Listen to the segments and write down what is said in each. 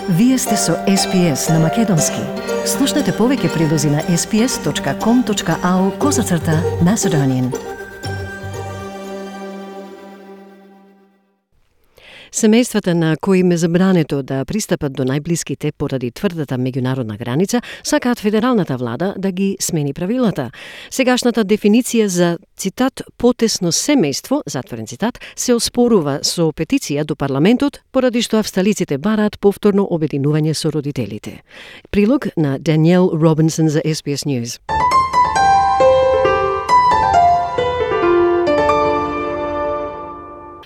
Вие сте со SPS на Македонски. Слушнете повеќе прилози на sps.com.au/Macedonian. Семејствата на кои им е забрането да пристапат до најблиските поради тврдата меѓународна граница, сакаат федералната влада да ги смени правилата. Сегашната дефиниција за, цитат, потесно семејство, затворен цитат, се оспорува со петиција до парламентот, поради што австралиците бараат повторно обединување со родителите. Прилог на Даниел Робинсон за SBS News.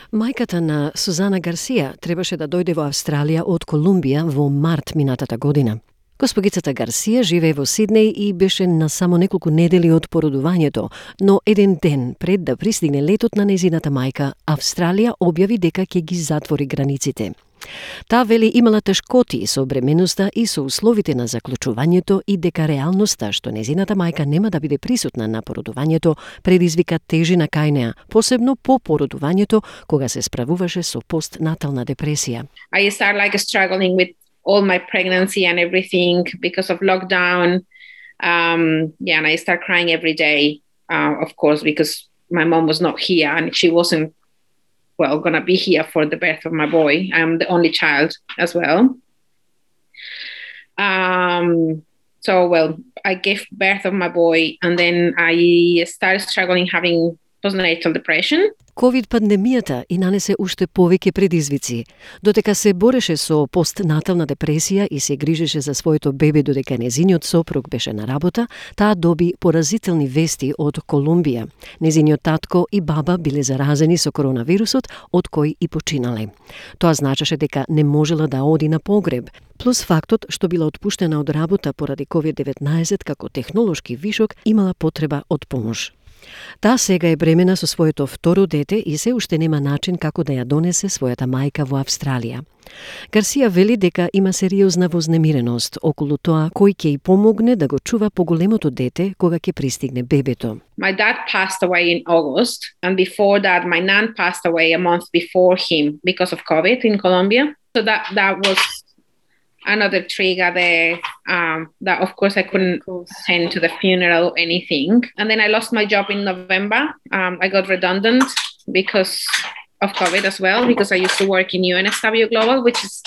Мајката на Сузана Гарсија требаше да дојде во Австралија од Колумбија во март минатата година. Госпогицата Гарсија живее во Сиднеј и беше на само неколку недели од породувањето, но еден ден пред да пристигне летот на незината мајка, Австралија објави дека ќе ги затвори границите. Таа вели имала тешкоти со бременоста и со условите на заклучувањето и дека реалноста што незината мајка нема да биде присутна на породувањето предизвика тежина кај неа, посебно по породувањето кога се справуваше со постнатална депресија. I started struggling with all my pregnancy and everything because of lockdown. And I started crying every day, of course, because my mom was not here and she wasn't going to be here for the birth of my boy. I'm the only child as well. I gave birth of my boy and then I started struggling having postnatal depression. Ковид-пандемијата и нанесе уште повеќе предизвици. Додека се бореше со постнатална депресија и се грижеше за своето бебе додека незиниот сопруг беше на работа, таа доби поразителни вести од Колумбија. Незиниот татко и баба биле заразени со коронавирусот, од кој и починале. Тоа значеше дека не можела да оди на погреб, плюс фактот што била отпуштена од работа поради COVID-19 како технолошки вишок, имала потреба од помош. Таа сега е бремена со своето второ дете и се уште нема начин како да ја донесе својата мајка во Австралија. Гарсија вели дека има сериозна вознемиреност околу тоа кој ќе ѝ помогне да го чува поголемото дете кога ќе пристигне бебето. My dad passed away in August, and before that my nan passed away a month before him because of COVID in Colombia. So that was another trigger there that of course I couldn't attend to the funeral or anything. And then I lost my job in November. I got redundant because of COVID as well, because I used to work in UNSW Global, which is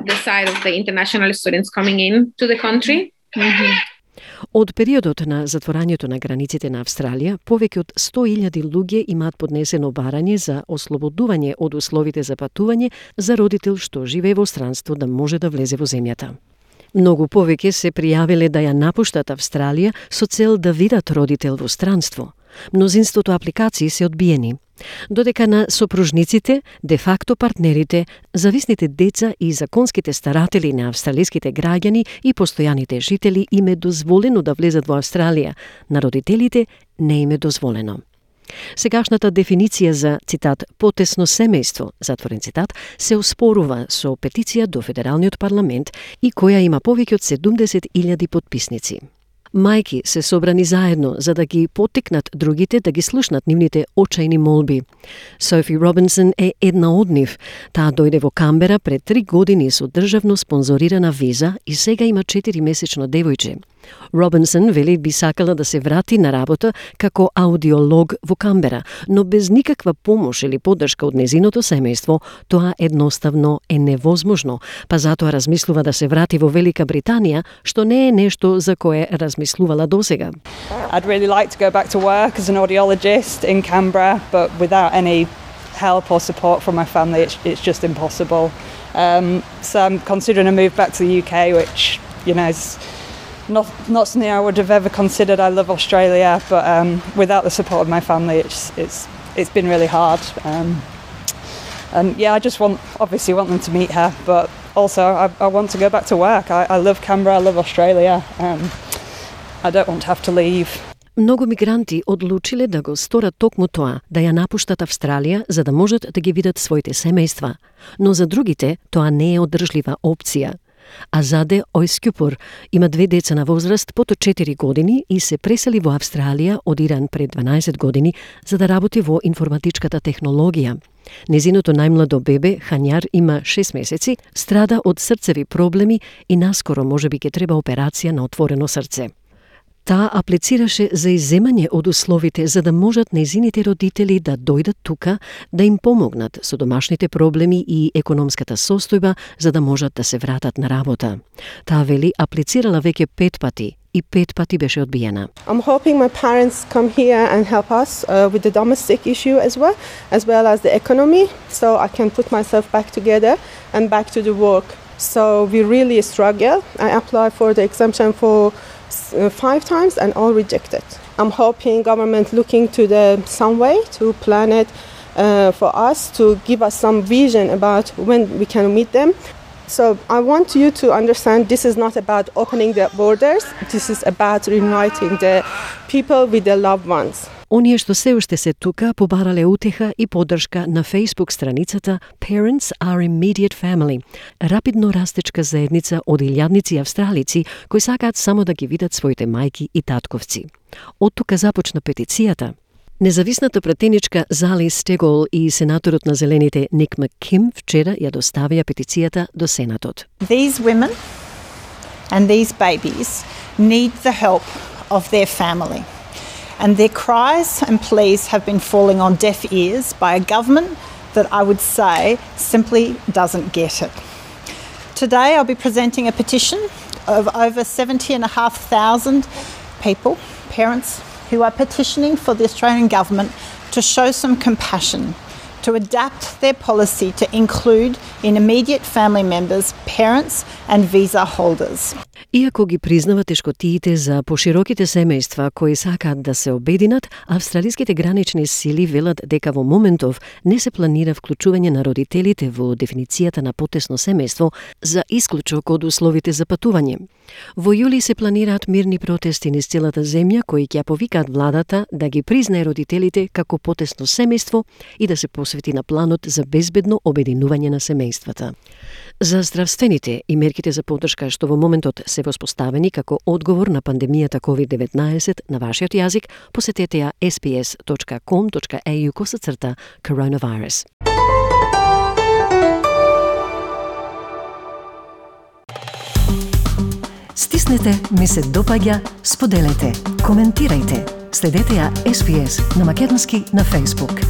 the side of the international students coming in to the country. Mm-hmm. Од периодот на затворањето на границите на Австралија, повеќе од 100.000 луѓе имаат поднесено барање за ослободување од условите за патување за родител што живее во странство да може да влезе во земјата. Многу повеќе се пријавиле да ја напуштат Австралија со цел да видат родител во странство. Мнозинството апликации се одбиени. Додека на сопружниците, де-факто партнерите, зависните деца и законските старатели на австралиските граѓани и постојаните жители им е дозволено да влезат во Австралија, на родителите не им е дозволено. Сегашната дефиниција за, цитат, потесно семејство, затворен цитат, се оспорува со петиција до Федералниот парламент и која има повеќе од 70.000 подписници. Мајки се собрани заедно за да ги поттикнат другите да ги слушнат нивните очајни молби. Софи Робинсон е една од нив. Таа дојде во Камбера пред 3 години со државно спонзорирана виза и сега има 4-месечно девојче. Робинсон вели би сакала да се врати на работа како аудиолог во Камбера, но без никаква помош или поддршка од незиното семејство, тоа едноставно е невозможно, па затоа размислува да се врати во Велика Британија, што не е нешто за кое размислувала досега. I'd really like to go back to work as an audiologist in Canberra, but without any help or support from my family, it's just impossible. So I'm considering a move back to the UK, which, is not something I would have ever considered. I love Australia, but without the support of my family, it's been really hard. I just want them to meet her, but also I want to go back to work. I love Canberra, I love Australia. I don't want to have to leave. Многу мигранти одлучиле да го сторат токму тоа, да ја напуштат Австралија за да можат да ги видат своите семејства. Но за другите тоа не е одржлива опција. Азаде Ојскюпур има 2 деца на возраст под 4 години и се пресели во Австралија од Иран пред 12 години за да работи во информатичката технологија. Незиното најмладо бебе, Хањар, има 6 месеци, страда од срцеви проблеми и наскоро можеби ќе треба операција на отворено срце. Таа аплицираше за изземање од условите за да можат нејзините родители да дојдат тука, да им помогнат со домашните проблеми и економската состојба за да можат да се вратат на работа. Таа вели аплицирала веќе 5 пати и 5 пати беше одбиена. I'm hoping my parents come here and help us with the domestic issue as well as the economy, so I can put myself back together and back to the work. So we really struggle. I applied for the exemption for 5 times and all rejected. I'm hoping government looking to some way to plan it for us, to give us some vision about when we can meet them. So I want you to understand this is not about opening the borders, this is about reuniting the people with their loved ones. Оние што се уште се тука побарале утеха и поддршка на Facebook страницата Parents are Immediate Family, рапидно растечка заедница од илјадници австралици кои сакаат само да ги видат своите мајки и татковци. Од тука започна петицијата. Независната пратеничка Зали Стегол и сенаторот на Зелените Ник Макким вчера ја доставија петицијата до Сенатот. These women and these babies need the help of their family. And their cries and pleas have been falling on deaf ears by a government that I would say simply doesn't get it. Today I'll be presenting a petition of over 70,500 people, parents, who are petitioning for the Australian government to show some compassion, to adapt their policy to include in immediate family members, parents and visa holders. Иако ги признава тешкотиите за пошироките семејства кои сакаат да се обединат, австралиските гранични сили велат дека во моментов не се планира вклучување на родителите во дефиницијата на потесно семејство за исклучок од условите за патување. Во јули се планираат мирни протести низ целата земја кои ќе повикаат владата да ги признае родителите како потесно семејство и да се посвети на планот за безбедно обединување на семејствата. За здравствените и мерките за поддршка што во моментот се воспоставени како одговор на пандемијата COVID-19 на вашиот јазик, посетете ја sbs.com.au/coronavirus. Стиснете, ми се допаѓа, споделете, коментирајте. Следете ја SBS на македонски на Facebook.